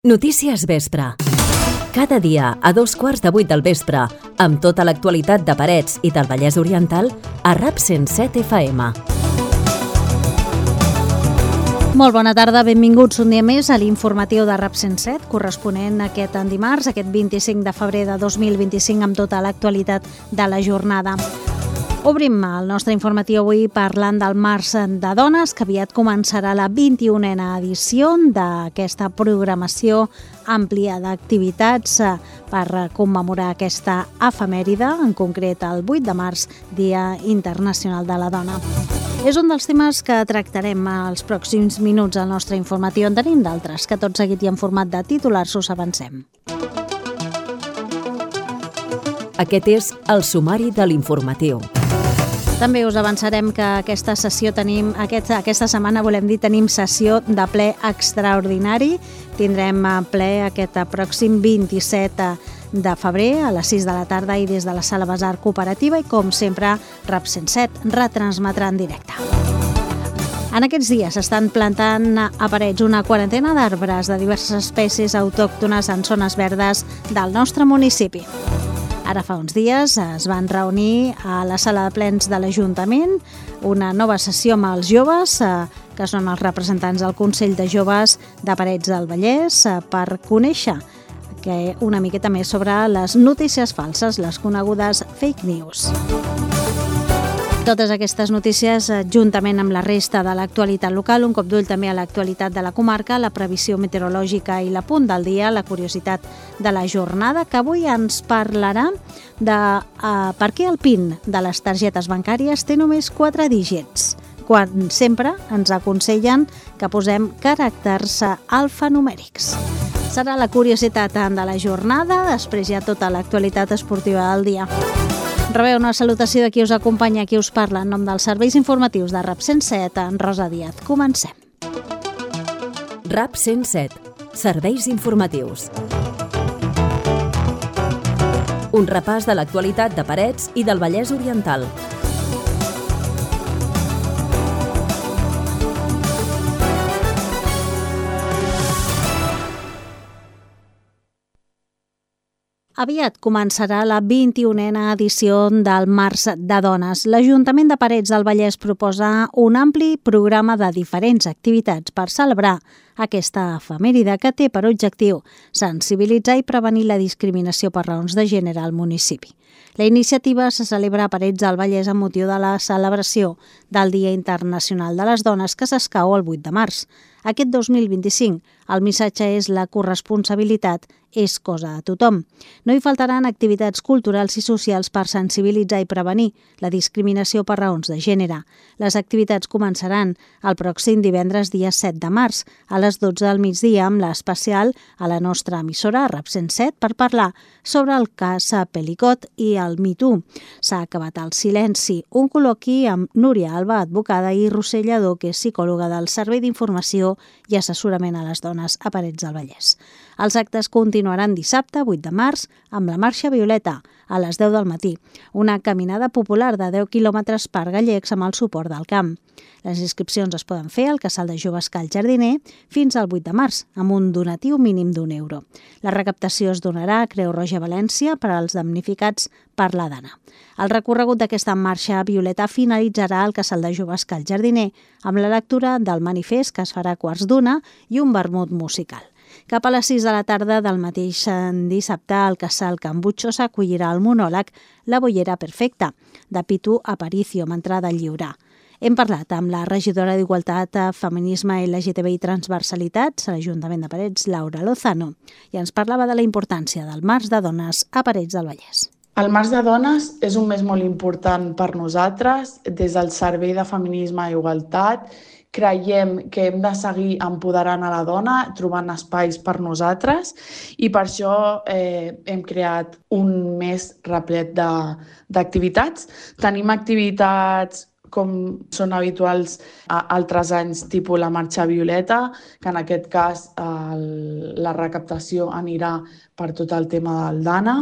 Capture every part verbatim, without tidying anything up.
Notícies Vespre. Cada dia a dos quarts de vuit del vespre, amb tota l'actualitat de Parets i del Vallès Oriental, a RAP cent set F M. Molt bona tarda, benvinguts un dia més a l'informatiu de RAP cent set, corresponent a aquest dimarts, aquest vint-i-cinc de febrer de dos mil vint-i-cinc, amb tota l'actualitat de la jornada. Obrim el nostre informatiu avui parlant del Març de Dones, que aviat començarà la vint-i-unena edició d'aquesta programació àmplia d'activitats per commemorar aquesta efemèride, en concret el vuit de març, Dia Internacional de la Dona. És un dels temes que tractarem els pròxims minuts al nostre informatiu. En tenim d'altres, que tot seguit i en format de titulars us avancem. Aquest és el sumari de l'informatiu. També us avançarem que aquesta sessió tenim, aquest, aquesta setmana volem dir, tenim sessió de ple extraordinari. Tindrem ple aquest pròxim vint-i-set de febrer a les sis de la tarda i des de la Sala Besar Cooperativa i, com sempre, RAP cent set retransmetrà en directe. En aquests dies s'estan plantant a Parets una quarantena d'arbres de diverses espècies autòctones en zones verdes del nostre municipi. Ara fa uns dies es van reunir a la sala de plens de l'Ajuntament una nova sessió amb els joves, que són els representants del Consell de Joves de Parets del Vallès, per conèixer que una miqueta més sobre les notícies falses, les conegudes fake news. Totes aquestes notícies, juntament amb la resta de l'actualitat local, un cop d'ull també a l'actualitat de la comarca, la previsió meteorològica i l'apunt del dia, la curiositat de la jornada, que avui ens parlarà de uh, per què el PIN de les targetes bancàries té només quatre dígits, quan sempre ens aconsellen que posem caràcters alfanumèrics. Serà la curiositat de la jornada, després hi ha tota l'actualitat esportiva del dia. Rebeu una salutació de qui us acompanya, qui us parla en nom dels serveis informatius de RAP cent set, en Rosa Díaz. Comencem. RAP cent set. Serveis informatius. Un repàs de l'actualitat de Parets i del Vallès Oriental. Aviat començarà la vint-i-unena edició del Març de Dones. L'Ajuntament de Parets del Vallès proposa un ampli programa de diferents activitats per celebrar aquesta efemèride que té per objectiu sensibilitzar i prevenir la discriminació per raons de gènere al municipi. La iniciativa se celebra a Parets del Vallès amb motiu de la celebració del Dia Internacional de les Dones, que s'escau el vuit de març. Aquest dos mil vint-i-cinc, el missatge és la corresponsabilitat és cosa de tothom. No hi faltaran activitats culturals i socials per sensibilitzar i prevenir la discriminació per raons de gènere. Les activitats començaran el pròxim divendres dia set de març a les dotze del migdia amb l'especial a la nostra emissora RAP cent set per parlar sobre el cas Pelicot i el Me Too. S'ha acabat el silenci, un col·loqui amb Núria Alba, advocada, i Roser Lladó, que és psicòloga del Servei d'Informació i Assessorament a les Dones a Parets del Vallès. Els actes continuaran dissabte, vuit de març, amb la Marxa Violeta, a les deu del matí, una caminada popular de deu quilòmetres per Gallecs amb el suport del camp. Les inscripcions es poden fer al Casal de Joves Cal Jardiner fins al vuit de març, amb un donatiu mínim d'un euro. La recaptació es donarà a Creu Roja València per als damnificats per la dana. El recorregut d'aquesta Marxa Violeta finalitzarà al Casal de Joves Cal Jardiner amb la lectura del manifest, que es farà a quarts d'una, i un vermut musical. Cap a les sis de la tarda del mateix dissabte, al Casal Can Butxo s'acollirà el monòleg La bollera perfecta, de Pitu Aparicio, amb entrada lliure. Hem parlat amb la regidora d'Igualtat, Feminisme, L G T B i Transversalitats a l'Ajuntament de Parets, Laura Lozano, i ens parlava de la importància del Març de Dones a Parets del Vallès. El Març de Dones és un mes molt important per nosaltres. Des del Servei de Feminisme i Igualtat creiem que hem de seguir empoderant a la dona, trobant espais per nosaltres, i per això eh, hem creat un mes replet d'activitats. Tenim activitats com són habituals a altres anys, tipus la Marxa Violeta, que en aquest cas el, la recaptació anirà per tot el tema del Dana.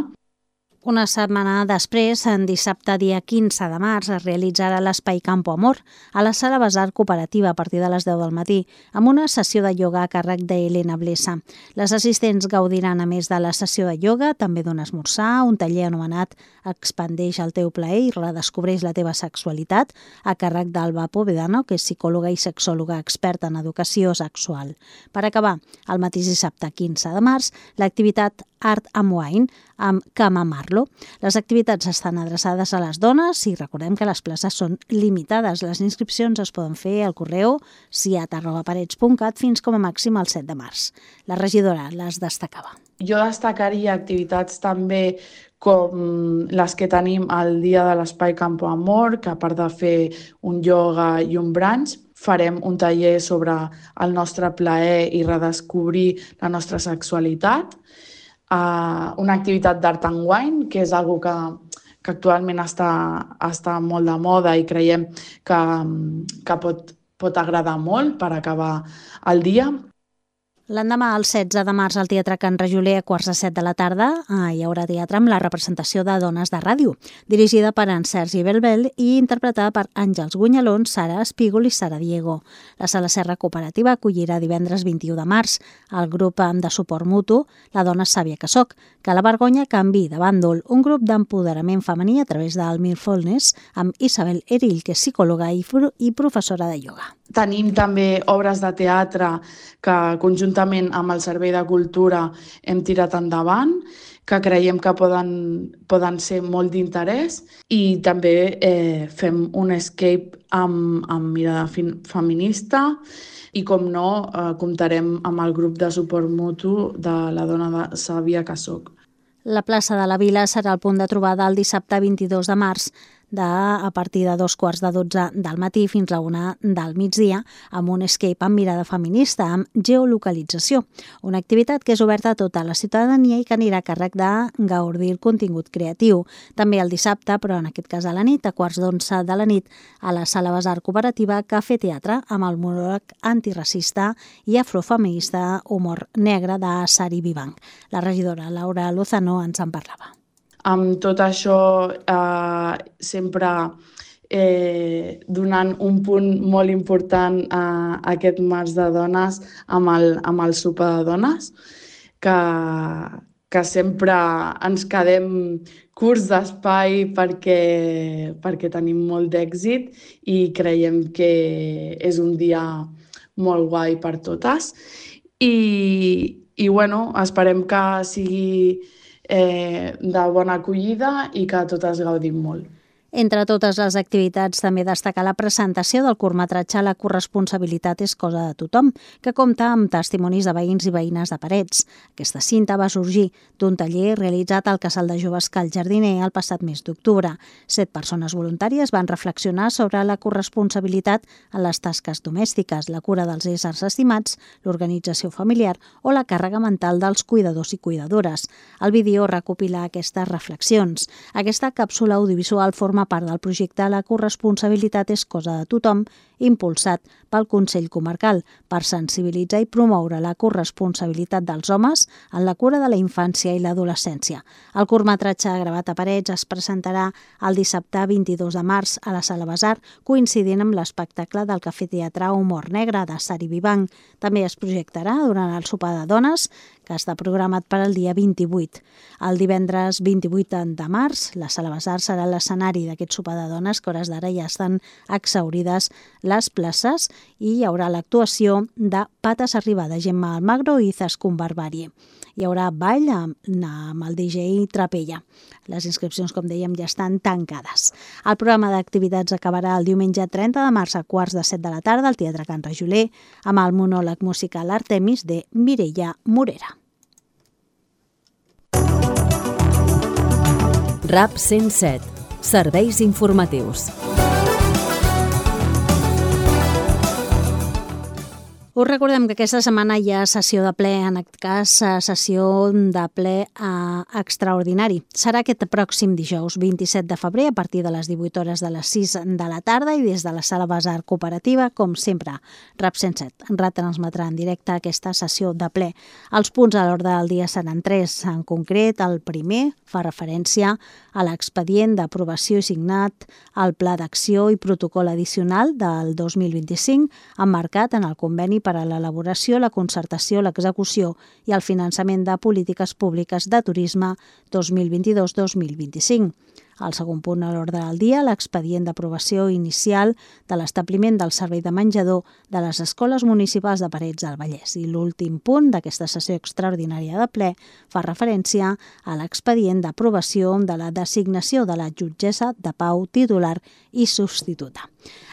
Una setmana després, en dissabte dia quinze de març, es realitzarà l'Espai Campo Amor a la Sala Basar Cooperativa a partir de les deu del matí, amb una sessió de ioga a càrrec d'Helena Blesa. Les assistents gaudiran, a més de la sessió de ioga, també d'un esmorzar, un taller anomenat Expandeix el teu plaer i redescobreix la teva sexualitat, a càrrec d'Alba Povedano, que és psicòloga i sexòloga experta en educació sexual. Per acabar, el mateix dissabte quinze de març, l'activitat Art amb Wine, amb Cama Marlo. Les activitats estan adreçades a les dones i recordem que les places són limitades. Les inscripcions es poden fer al correu siat arroba parets punt cat fins com a màxim el set de març. La regidora les destacava. Jo destacaria activitats també com les que tenim al dia de l'Espai Campo Amor, que a part de fer un ioga i un brunch, farem un taller sobre el nostre plaer i redescobrir la nostra sexualitat. Uh, una activitat d'art and wine, que és algo que, que actualment està, està molt de moda i creiem que, que pot, pot agradar molt per acabar el dia. L'endemà, el setze de març, al Teatre Can Rajoler, a quarts de set de la tarda, hi haurà teatre amb la representació de Dones de Ràdio, dirigida per en Sergi Belbel i interpretada per Àngels Gunyalón, Sara Espígol i Sara Diego. La Sala Serra Cooperativa acollirà divendres vint-i-u de març el grup de suport mutu La Dona Sàvia que soc, que la vergonya canvi de bàndol, un grup d'empoderament femení a través del Mindfulness amb Isabel Erill, que és psicòloga i, i professora de ioga. Tenim també obres de teatre que conjuntament amb el Servei de Cultura hem tirat endavant, que creiem que poden, poden ser molt d'interès, i també eh, fem un escape amb, amb mirada feminista i, com no, eh, comptarem amb el grup de suport mutu de La Dona Sàvia que soc. La plaça de la Vila serà el punt de trobada el dissabte vint-i-dos de març, de, a partir de dos quarts de dotze del matí fins a una del migdia, amb un escape amb mirada feminista, amb geolocalització. Una activitat que és oberta a tota la ciutadania i que anirà a càrrec de gaudir el contingut creatiu. També el dissabte, però en aquest cas a la nit, a quarts d'onze de la nit, a la Sala Basar Cooperativa Cafè Teatre, amb el monòleg antiracista i afrofeminista Humor Negre de Sari Vivanc. La regidora Laura Lozano ens en parlava. Amb tot això, eh, sempre eh, donant un punt molt important a aquest març de dones amb el, amb el sopar de dones, que, que sempre ens quedem curts d'espai perquè, perquè tenim molt d'èxit i creiem que és un dia molt guai per totes. I, i bueno, esperem que sigui Eh, de bona acollida i que totes gaudim molt. Entre totes les activitats, també destacar la presentació del curtmetratge La corresponsabilitat és cosa de tothom, que compta amb testimonis de veïns i veïnes de Parets. Aquesta cinta va sorgir d'un taller realitzat al Casal de Joves Cal Jardiner el passat mes d'octubre. Set persones voluntàries van reflexionar sobre la corresponsabilitat en les tasques domèstiques, la cura dels éssers estimats, l'organització familiar o la càrrega mental dels cuidadors i cuidadores. El vídeo recopila aquestes reflexions. Aquesta càpsula audiovisual forma part del projecte La corresponsabilitat és cosa de tothom, impulsat pel Consell Comarcal per sensibilitzar i promoure la corresponsabilitat dels homes en la cura de la infància i l'adolescència. El curtmetratge gravat a Parets es presentarà el dissabte vint-i-dos de març a la Sala Basar, coincidint amb l'espectacle del Cafè Teatre Humor Negre de Sari Vivanc. També es projectarà durant el sopar de dones, que està programat per al dia vint-i-vuit. El divendres vint-i-vuit de març, la Sala Basar serà l'escenari d'aquest sopar de dones, que a hores d'ara ja estan exhaurides les places, i hi haurà l'actuació de Pates Arribar de Gemma Almagro i Zascun Barbarie. Hi haurà ball amb, amb el D J Trapella. Les inscripcions, com dèiem, ja estan tancades. El programa d'activitats acabarà el diumenge trenta de març a quarts de set de la tarda al Teatre Can Rajoler amb el monòleg musical Artemis de Mireia Morera. RAP cent set. Serveis informatius. Us recordem que aquesta setmana hi ha sessió de ple, en aquest cas sessió de ple eh, extraordinari. Serà aquest pròxim dijous vint-i-set de febrer a partir de les divuit hores de les sis de la tarda i des de la sala Basar Cooperativa, com sempre, RAP cent set retransmetrà en directe aquesta sessió de ple. Els punts a l'ordre del dia seran tres. En concret, el primer fa referència a l'expedient d'aprovació i signat al Pla d'Acció i Protocol Addicional del dos mil vint-i-cinc, emmarcat en el conveni per a l'elaboració, la concertació, l'execució i el finançament de polítiques públiques de turisme dos mil vint-i-dos dos mil vint-i-cinc. El segon punt a l'ordre del dia, l'expedient d'aprovació inicial de l'establiment del servei de menjador de les escoles municipals de Parets del Vallès. I l'últim punt d'aquesta sessió extraordinària de ple fa referència a l'expedient d'aprovació de la designació de la jutgessa de pau titular i substituta.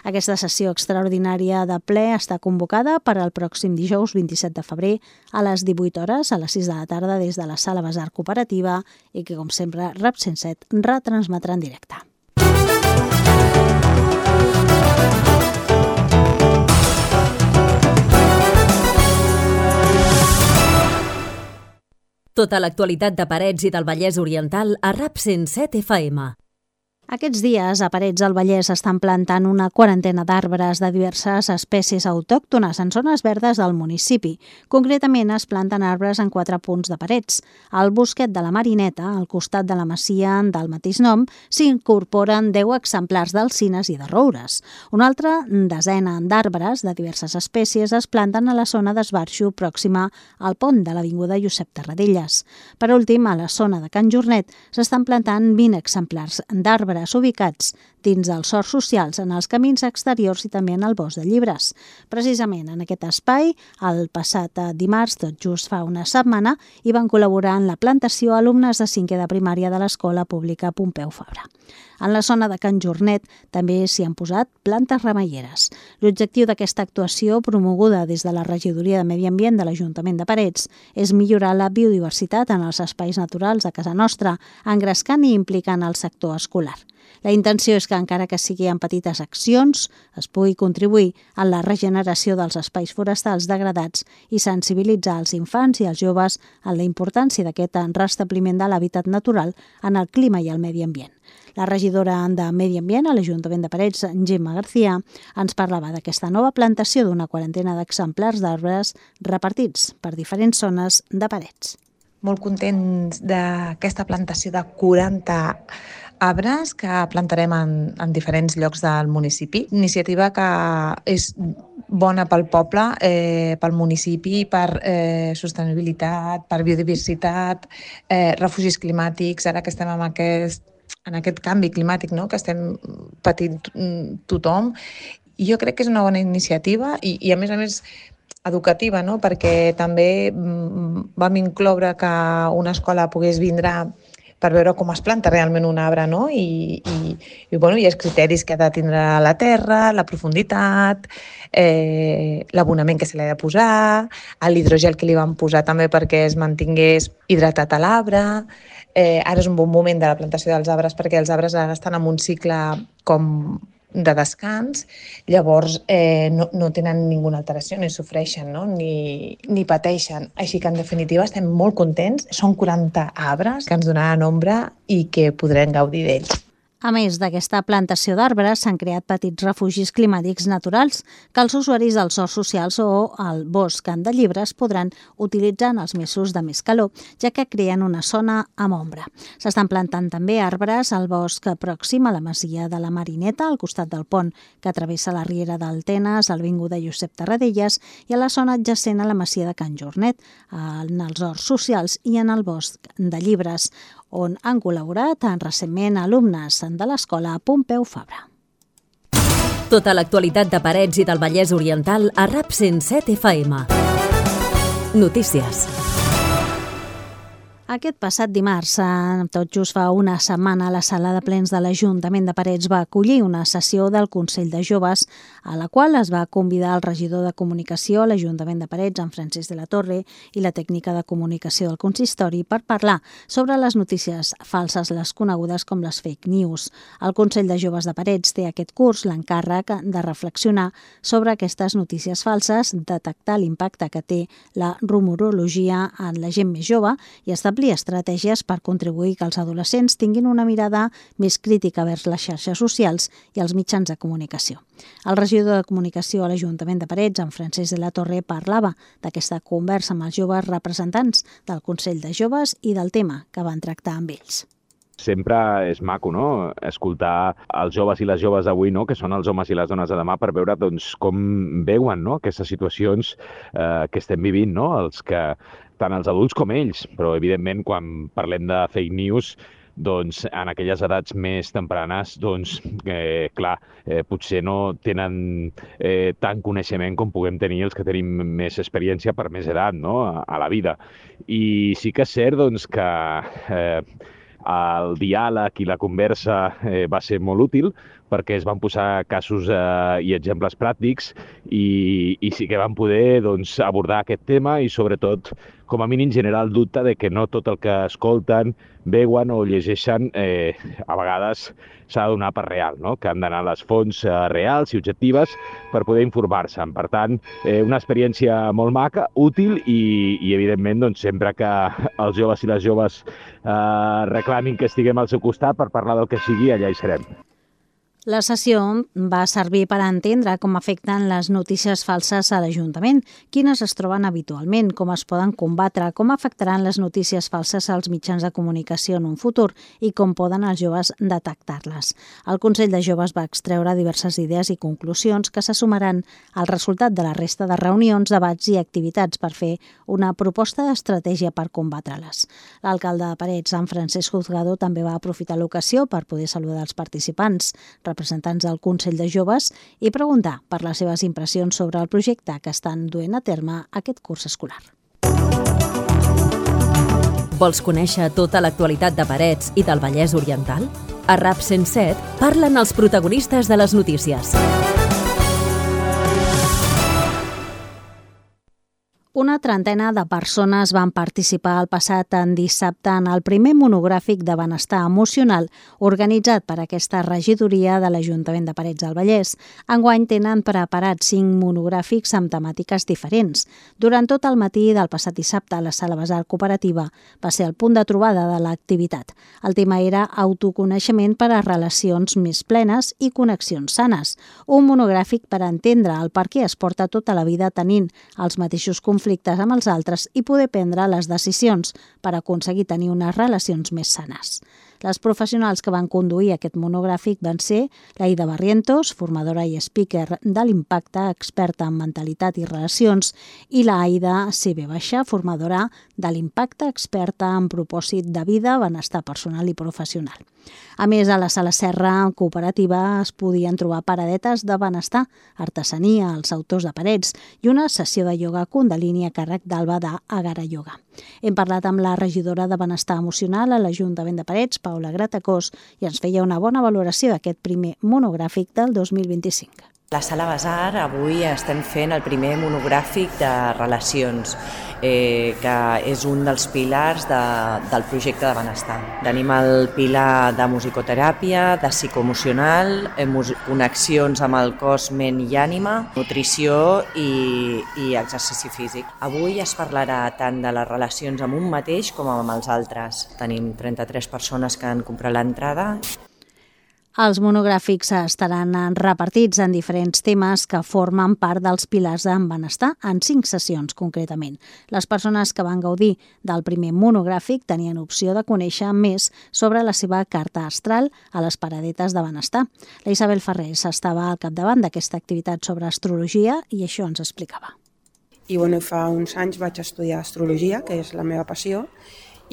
Aquesta sessió extraordinària de ple està convocada per al pròxim dijous vint-i-set de febrer a les divuit hores a les sis de la tarda des de la sala Basar Cooperativa i que, com sempre, RAP cent set retransmetrà en directe. Tota l'actualitat de Parets i del Vallès Oriental a RAP cent set F M. Aquests dies, a Parets del Vallès estan plantant una quarantena d'arbres de diverses espècies autòctones en zones verdes del municipi. Concretament, es planten arbres en quatre punts de Parets. Al Bosquet de la Marineta, al costat de la masia del mateix nom, s'incorporen deu exemplars d'alzines i de roures. Una altra desena d'arbres de diverses espècies es planten a la zona d'esbarxo pròxima al pont de l'Avinguda Josep Tarradellas. Per últim, a la zona de Can Jornet s'estan plantant vint exemplars d'arbres ubicats dins dels horts socials, en els camins exteriors i també en el bosc de llibres. Precisament en aquest espai, el passat dimarts, tot just fa una setmana, hi van col·laborar en la plantació alumnes de cinquè de primària de l'Escola Pública Pompeu Fabra. En la zona de Can Jornet també s'hi han posat plantes remeieres. L'objectiu d'aquesta actuació, promoguda des de la Regidoria de Medi Ambient de l'Ajuntament de Parets, és millorar la biodiversitat en els espais naturals de casa nostra, engrescant i implicant el sector escolar. La intenció és que, encara que sigui en petites accions, es pugui contribuir en la regeneració dels espais forestals degradats i sensibilitzar els infants i els joves en la importància d'aquest restabliment de l'hàbitat natural en el clima i el medi ambient. La regidora de Medi Ambient a l'Ajuntament de Parets, Gemma García, ens parlava d'aquesta nova plantació d'una quarantena d'exemplars d'arbres repartits per diferents zones de Parets. Molt contents d'aquesta plantació de quaranta arbres que plantarem en, en diferents llocs del municipi. Iniciativa que és bona pel poble, eh, pel municipi, per eh, sostenibilitat, per biodiversitat, eh, refugis climàtics, ara que estem en aquest, en aquest canvi climàtic, no?, que estem patint tothom. I jo crec que és una bona iniciativa i, i a més a més, educativa, no?, perquè també vam incloure que una escola pogués vindre per veure com es planta realment un arbre, no? I, i, i, bueno, hi ha criteris que ha de tindre la terra, la profunditat, eh, l'abonament que se li ha de posar, l'hidrogel que li van posar també perquè es mantingués hidratat a l'arbre. Eh, ara és un bon moment de la plantació dels arbres perquè els arbres ara estan en un cicle com de descans, llavors eh, no, no tenen ninguna alteració, ni sofreixen, no? ni, ni pateixen. Així que, en definitiva, estem molt contents. Són quaranta arbres que ens donaran ombra i que podrem gaudir d'ells. A més d'aquesta plantació d'arbres, s'han creat petits refugis climàtics naturals que els usuaris dels horts socials o el bosc de llibres podran utilitzar en els mesos de més calor, ja que creen una zona amb ombra. S'estan plantant també arbres al bosc pròxim a la masia de la Marineta, al costat del pont que travessa la riera d'Altenes, a l'Avinguda Josep Tarradellas i a la zona adjacent a la masia de Can Jornet, en els horts socials i en el bosc de llibres, on han col·laborat recentment alumnes de l'Escola Pompeu Fabra. Tota l'actualitat de Parets i del Vallès Oriental a RAP cent set F M. Notícies. Aquest passat dimarts, tot just fa una setmana, la sala de plens de l'Ajuntament de Parets va acollir una sessió del Consell de Joves a la qual es va convidar el regidor de Comunicació a l'Ajuntament de Parets, en Francesc de la Torre, i la tècnica de comunicació del consistori per parlar sobre les notícies falses, les conegudes com les fake news. El Consell de Joves de Parets té aquest curs l'encàrrec de reflexionar sobre aquestes notícies falses, detectar l'impacte que té la rumorologia en la gent més jove i establir estratègies per contribuir que els adolescents tinguin una mirada més crítica vers les xarxes socials i els mitjans de comunicació. El regidor de Comunicació a l'Ajuntament de Parets, en Francesc de la Torre, parlava d'aquesta conversa amb els joves representants del Consell de Joves i del tema que van tractar amb ells. Sempre és maco, no?, escoltar els joves i les joves d'avui, no?, que són els homes i les dones de demà, per veure doncs, com veuen, no?, aquestes situacions eh, que estem vivint, no?, els que, tant els adults com ells, però evidentment quan parlem de fake news, doncs en aquelles edats més tempranes, doncs eh, clar, eh, potser no tenen eh, tant coneixement com puguem tenir els que tenim més experiència per més edat, no?, a, a la vida. I sí que és cert, doncs, que eh, el diàleg i la conversa eh, va ser molt útil perquè es van posar casos eh, i exemples pràctics i, i sí que van poder doncs, abordar aquest tema i sobretot, com a mínim, generar el dubte de que no tot el que escolten, veuen o llegeixen eh, a vegades s'ha de donar per real, no?, que han d'anar a les fonts eh, reals i objectives per poder informar-se. Per tant, eh, una experiència molt maca, útil i, i evidentment, doncs, sempre que els joves i les joves eh, reclamin que estiguem al seu costat per parlar del que sigui, allà hi serem. La sessió va servir per entendre com afecten les notícies falses a l'Ajuntament, quines es troben habitualment, com es poden combatre, com afectaran les notícies falses als mitjans de comunicació en un futur i com poden els joves detectar-les. El Consell de Joves va extreure diverses idees i conclusions que se sumaran al resultat de la resta de reunions, debats i activitats per fer una proposta d'estratègia per combatre-les. L'alcalde de Parets, en Francesc Juzgado, també va aprofitar l'ocasió per poder saludar els participants, representants del Consell de Joves, i preguntar per les seves impressions sobre el projecte que estan duent a terme aquest curs escolar. Vols conèixer tota l'actualitat de Parets i del Vallès Oriental? A RAP cent set parlen els protagonistes de les notícies. Una trentena de persones van participar el passat en dissabte en el primer monogràfic de benestar emocional organitzat per aquesta regidoria de l'Ajuntament de Parets del Vallès. Enguany tenen preparats cinc monogràfics amb temàtiques diferents. Durant tot el matí del passat dissabte, la Sala Basar Cooperativa va ser el punt de trobada de l'activitat. El tema era autoconeixement per a relacions més plenes i connexions sanes. Un monogràfic per entendre el per què es porta tota la vida tenint els mateixos conflictes conflictes amb els altres i poder prendre les decisions per aconseguir tenir unes relacions més sanes. Les professionals que van conduir aquest monogràfic van ser l'Aida Barrientos, formadora i speaker de l'impacte, experta en mentalitat i relacions, i l'Aida C B Baixa, formadora de l'impacte, experta en propòsit de vida, benestar personal i professional. A més, a la Sala Serra Cooperativa es podien trobar paradetes de benestar, artesania, els autors de Parets i una sessió de ioga kundalini a càrrec d'Alba d'Agara Yoga. Hem parlat amb la regidora de Benestar Emocional a l'Ajuntament de Parets, Paula Gratacós, i ens feia una bona valoració d'aquest primer monogràfic del dos mil vint-i-cinc. A la Sala Basar avui estem fent el primer monogràfic de relacions, eh, que és un dels pilars de, del projecte de benestar. Tenim el pilar de musicoteràpia, de psicoemocional, connexions amb el cos, ment i ànima, nutrició i, i exercici físic. Avui es parlarà tant de les relacions amb un mateix com amb els altres. Tenim trenta-tres persones que han comprat l'entrada. Els monogràfics estaran repartits en diferents temes que formen part dels pilars en benestar, en cinc sessions concretament. Les persones que van gaudir del primer monogràfic tenien opció de conèixer més sobre la seva carta astral a les paradetes de benestar. La Isabel Ferrés estava al capdavant d'aquesta activitat sobre astrologia i això ens explicava. I bueno, fa uns anys vaig estudiar astrologia, que és la meva passió,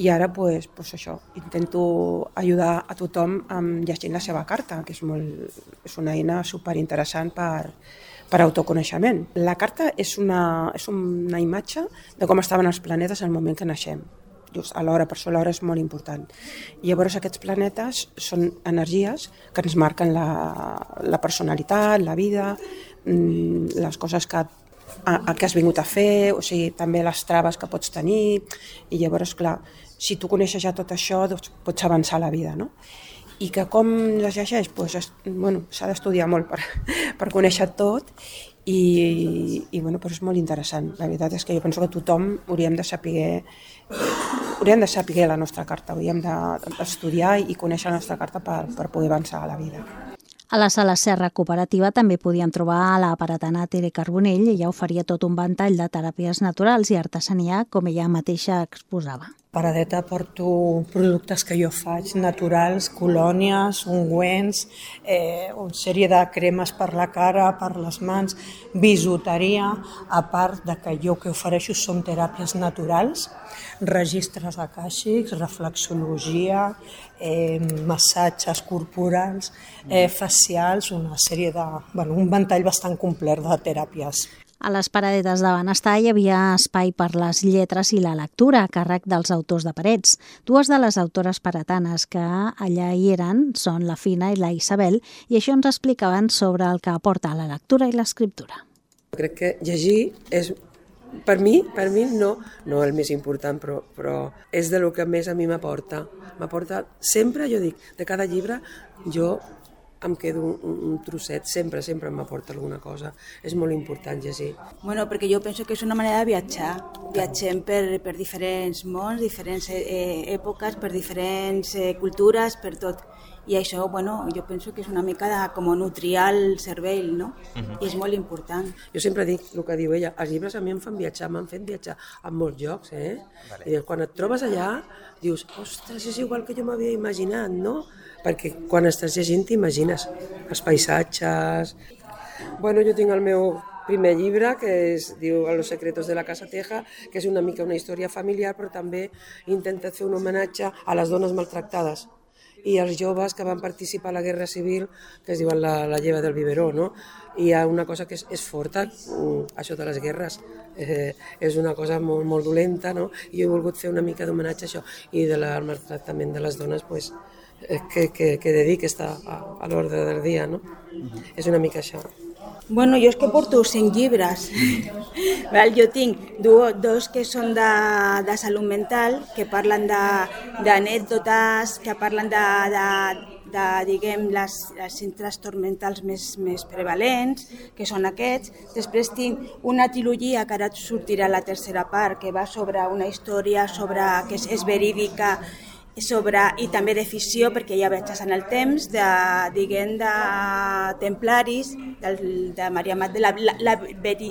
i ara pues, pues això, intento ajudar a tothom amb llegint la seva carta, que és, molt, és una eina superinteressant per, per autoconeixement. La carta és una, és una imatge de com estaven els planetes al moment que naixem. Just a l'hora, per això l'hora és molt important. I llavors aquests planetes són energies que ens marquen la, la personalitat, la vida, les coses que, a, a que has vingut a fer, o sigui, també les traves que pots tenir, i llavors, clar, si tu coneixes ja tot això, doncs pots avançar a la vida, no? I que com les llegeix? Pues, bueno, s'ha d'estudiar molt per, per conèixer tot, i, i bueno, però és molt interessant. La veritat és que jo penso que tothom hauríem de saber, hauríem de saber la nostra carta, hauríem d'estudiar i conèixer la nostra carta per, per poder avançar a la vida. A la Sala Serra Cooperativa també podien trobar la paratana Tere Carbonell i ella oferia tot un ventall de teràpies naturals i artesania, com ella mateixa exposava. Paradeta porto productes que jo faig, naturals, colònies, ungüents, eh, una sèrie de cremes per la cara, per les mans, bisuteria, a part de que jo que ofereixo són teràpies naturals, registres acàxics, reflexologia, eh, massatges corporals, eh, facials, una sèrie de, bueno, un ventall bastant complet de teràpies. A les paradetes de benestar hi havia espai per les lletres i la lectura a càrrec dels autors de Parets. Dues de les autores paretanes que allà hi eren són la Fina i la Isabel, i això ens explicaven sobre el que aporta la lectura i l'escriptura. Crec que llegir és, per mi, per mi no, no el més important, però, però és de lo que més a mi m'aporta. M'aporta sempre, jo dic, de cada llibre, jo em quedo un, un trosset, sempre, sempre m'aporta alguna cosa. És molt important llegir. Bueno, perquè jo penso que és una manera de viatjar. Viatgem per, per diferents mons, diferents eh, èpoques, per diferents eh, cultures, per tot. I això, bueno, jo penso que és una mica de com nutrir el cervell, no? Uh-huh. I és molt important. Jo sempre dic el que diu ella, els llibres a mi em fan viatjar, m'han fet viatjar a molts llocs, eh? Vale. I quan et trobes allà, dius, ostres, és igual que jo m'havia imaginat, no? Perquè quan estàs llegint t'imagines els paisatges. Bueno, jo tinc el meu primer llibre, que es diu Los secretos de la Casa Teja, que és una mica una història familiar, però també he intentat fer un homenatge a les dones maltractades i als joves que van participar a la Guerra Civil, que es diuen la, la lleva del biberó, no? I hi ha una cosa que és, és forta, això de les guerres, eh, és una cosa molt, molt dolenta, no? I he volgut fer una mica d'homenatge a això, i del maltractament de les dones, pues, que, que, que dediqui està a, a l'ordre del dia, no? Uh-huh. És una mica això. Bueno, jo és que porto cinc llibres. Jo tinc dos que són de, de salut mental, que parlen d'anècdotes, que parlen de, de, de diguem, les, els trastorns mentals més, més prevalents, que són aquests. Després tinc una trilogia, que ara sortirà la tercera part, que va sobre una història sobre, que és, és verídica, sobre, i també de ficció, perquè ja viatges en el temps, de, diguem, de templaris, de, de Maria Magdalena, la, la veri,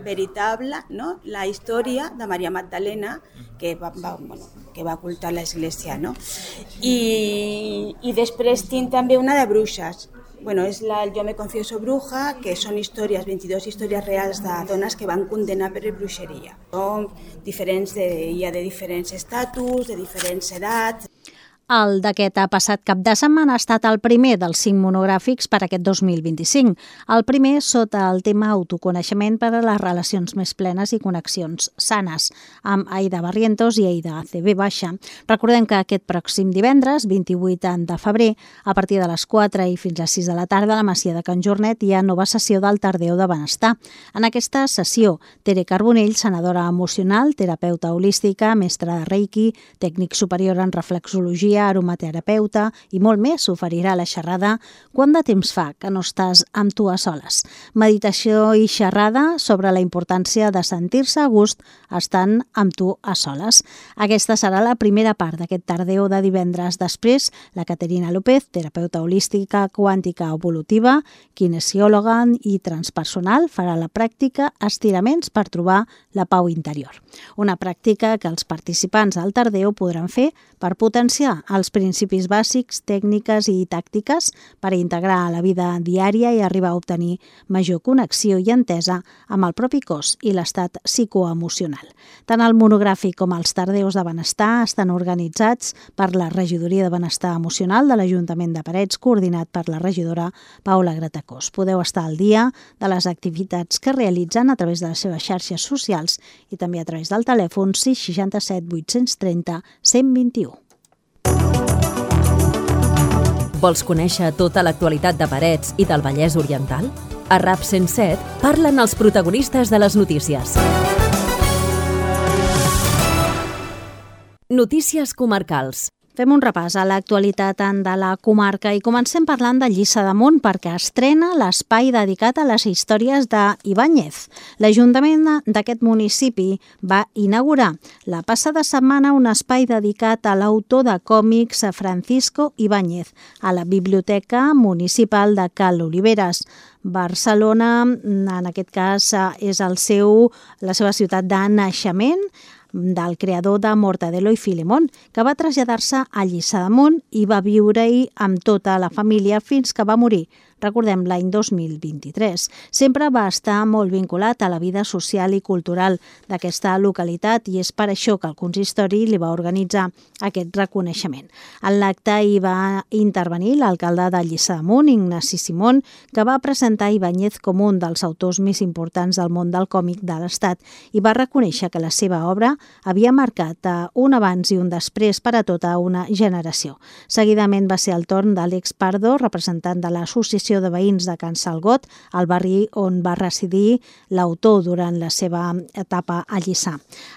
veritable, no? La història de Maria Magdalena, que va, va, bueno, que va ocultar l'Església, no? I, i després tinc també una de bruixes. Bueno, és la Yo me confieso bruja, que són històries, vint-i-dues històries reals de dones que van condenar per bruixeria. Són diferents, de, hi ha de diferents estatus, de diferents edats. El d'aquest passat cap de setmana ha estat el primer dels cinc monogràfics per aquest dos mil vint-i-cinc. El primer sota el tema autoconeixement per a les relacions més plenes i connexions sanes, amb Aida Barrientos i Aida C B baixa. Recordem que aquest pròxim divendres, vint-i-vuit de febrer, a partir de les quatre i fins a sis de la tarda, a la Masia de Can Jornet hi ha nova sessió del Tardeo de Benestar. En aquesta sessió, Tere Carbonell, sanadora emocional, terapeuta holística, mestra de Reiki, tècnic superior en reflexologia, aromaterapeuta i molt més oferirà la xerrada Quant de temps fa que no estàs amb tu a soles? Meditació i xerrada sobre la importància de sentir-se a gust estant amb tu a soles. Aquesta serà la primera part d'aquest tardeo de divendres. Després, la Caterina López, terapeuta holística quàntica evolutiva, kinesiòloga i transpersonal, farà la pràctica estiraments per trobar la pau interior. Una pràctica que els participants al tardeo podran fer per potenciar els principis bàsics, tècniques i tàctiques per integrar a la vida diària i arribar a obtenir major connexió i entesa amb el propi cos i l'estat psicoemocional. Tant el monogràfic com els tardeus de benestar estan organitzats per la Regidoria de Benestar Emocional de l'Ajuntament de Parets, coordinat per la regidora Paula Gratacós. Podeu estar al dia de les activitats que realitzen a través de les seves xarxes socials i també a través del telèfon sis seixanta-set vuit-cents trenta cent vint-i-u. Vols conèixer tota l'actualitat de Parets i del Vallès Oriental? A RAP cent set parlen els protagonistes de les notícies. Notícies comarcals. Fem un repàs a l'actualitat de la comarca i comencem parlant de Lliçà d'Amunt perquè estrena l'espai dedicat a les històries d'Ibáñez. L'Ajuntament d'aquest municipi va inaugurar la passada setmana un espai dedicat a l'autor de còmics Francisco Ibáñez a la Biblioteca Municipal de Cal Oliveres. Barcelona, en aquest cas, és el seu, la seva ciutat de naixement, del creador de Mortadelo i Filemón, que va traslladar-se a Lliçà d'Amunt i va viure-hi amb tota la família fins que va morir. Recordem, l'any dos mil vint-i-tres. Sempre va estar molt vinculat a la vida social i cultural d'aquesta localitat i és per això que el consistori li va organitzar aquest reconeixement. En l'acte hi va intervenir l'alcalde de Lliçà d'Amunt, Ignasi Simón, que va presentar Ibáñez com un dels autors més importants del món del còmic de l'Estat i va reconèixer que la seva obra havia marcat un abans i un després per a tota una generació. Seguidament va ser el torn d'Àlex Pardo, representant de l'Associació de Veïns de Can Salgot, al barri on va residir l'autor durant la seva etapa a Lliçà.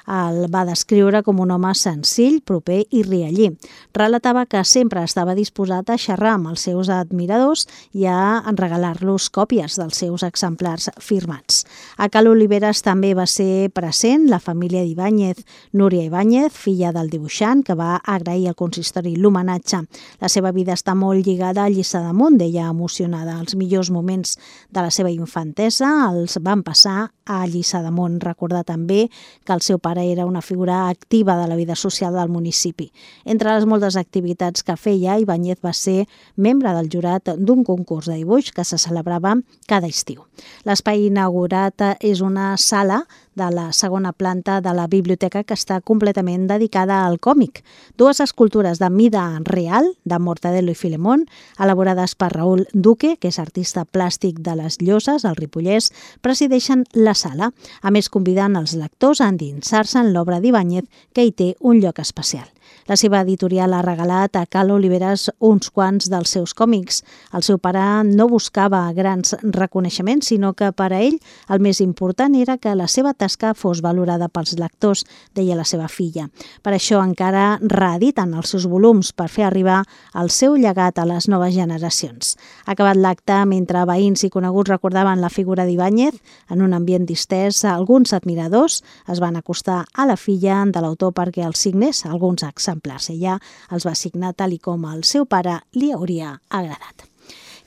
El va descriure com un home senzill, proper i riallí. Relatava que sempre estava disposat a xerrar amb els seus admiradors i a regalar-los còpies dels seus exemplars firmats. A Cal Oliveres també va ser present la família d'Ibáñez, Núria Ibáñez, filla del dibuixant, que va agrair al consistori l'homenatge. La seva vida està molt lligada a Lliçà d'Amunt, deia emocionada. Els millors moments de la seva infantesa els van passar a Lliçà d'Amunt. Recordar també que el seu pare era una figura activa de la vida social del municipi. Entre les moltes activitats que feia, Ibáñez va ser membre del jurat d'un concurs de dibuix que se celebrava cada estiu. L'espai inaugurat és una sala de la segona planta de la biblioteca que està completament dedicada al còmic. Dues escultures de mida real, de Mortadelo i Filemón, elaborades per Raúl Duque, que és artista plàstic de les Lloses, al Ripollès, presideixen la sala, a més convidant els lectors a endinsar-se en l'obra d'Ibáñez, que hi té un lloc especial. La seva editorial ha regalat a Cal Oliveres uns quants dels seus còmics. El seu pare no buscava grans reconeixements, sinó que per a ell el més important era que la seva tasca fos valorada pels lectors, deia la seva filla. Per això encara reediten els seus volums per fer arribar el seu llegat a les noves generacions. Acabat l'acte, mentre veïns i coneguts recordaven la figura d'Ibáñez, en un ambient distès, alguns admiradors es van acostar a la filla de l'autor perquè els signés alguns exemplars. Ella els va signar tal i com el seu pare li hauria agradat.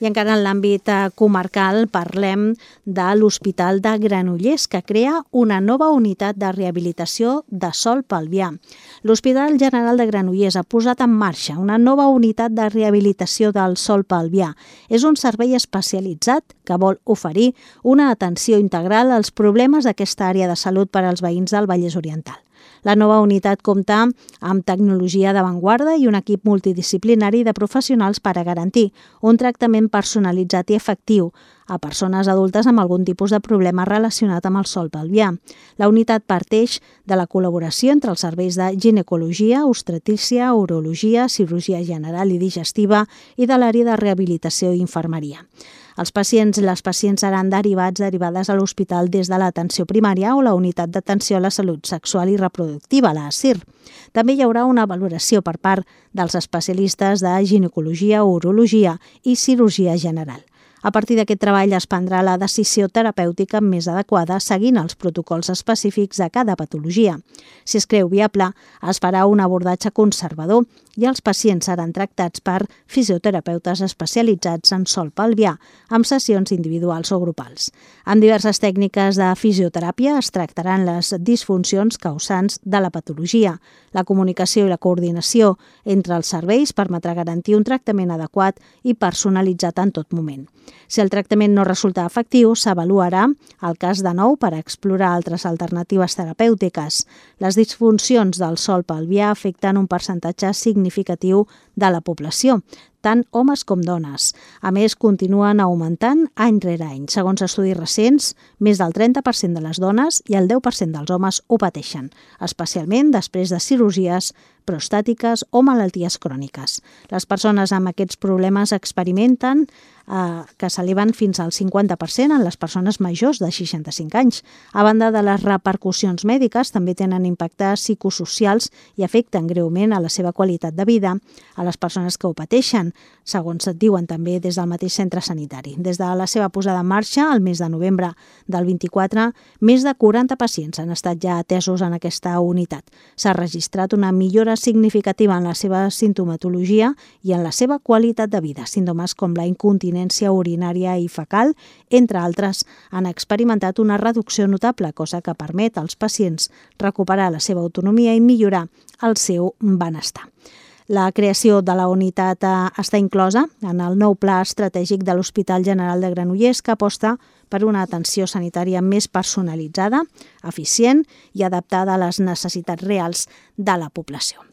I encara en l'àmbit comarcal parlem de l'Hospital de Granollers, que crea una nova unitat de rehabilitació de Sol Pelvià. L'Hospital General de Granollers ha posat en marxa una nova unitat de rehabilitació del Sol Pelvià. És un servei especialitzat que vol oferir una atenció integral als problemes d'aquesta àrea de salut per als veïns del Vallès Oriental. La nova unitat compta amb tecnologia d'avantguarda i un equip multidisciplinari de professionals per a garantir un tractament personalitzat i efectiu a persones adultes amb algun tipus de problema relacionat amb el sòl pelvià. La unitat parteix de la col·laboració entre els serveis de ginecologia, obstetrícia, urologia, cirurgia general i digestiva i de l'àrea de rehabilitació i infermeria. Els pacients i les pacients seran derivats derivades a l'hospital des de l'atenció primària o la unitat d'atenció a la salut sexual i reproductiva, la A S I R. També hi haurà una valoració per part dels especialistes de ginecologia, urologia i cirurgia general. A partir d'aquest treball es prendrà la decisió terapèutica més adequada seguint els protocols específics de cada patologia. Si es creu viable, es farà un abordatge conservador i els pacients seran tractats per fisioterapeutes especialitzats en sòl pelvià, amb sessions individuals o grupals. Amb diverses tècniques de fisioteràpia es tractaran les disfuncions causants de la patologia. La comunicació i la coordinació entre els serveis permetrà garantir un tractament adequat i personalitzat en tot moment. Si el tractament no resulta efectiu, s'avaluarà el cas de nou per explorar altres alternatives terapèutiques. Les disfuncions del sòl pelvià afecten un percentatge significatiu de la població, tant homes com dones. A més, continuen augmentant any rere any. Segons estudis recents, més del trenta per cent de les dones i el deu per cent dels homes ho pateixen, especialment després de cirurgies prostàtiques o malalties cròniques. Les persones amb aquests problemes experimenten eh, que s'eleven fins al cinquanta per cent en les persones majors de seixanta-cinc anys. A banda de les repercussions mèdiques, també tenen impactes psicosocials i afecten greument a la seva qualitat de vida a les persones que ho pateixen, segons et diuen també des del mateix centre sanitari. Des de la seva posada en marxa, el mes de novembre del vint-i-quatre, més de quaranta pacients han estat ja atesos en aquesta unitat. S'ha registrat una millora significativa en la seva sintomatologia i en la seva qualitat de vida. Símptomes com la incontinència urinària i fecal, entre altres, han experimentat una reducció notable, cosa que permet als pacients recuperar la seva autonomia i millorar el seu benestar. La creació de la unitat està inclosa en el nou pla estratègic de l'Hospital General de Granollers, que aposta per una atenció sanitària més personalitzada, eficient i adaptada a les necessitats reals de la població.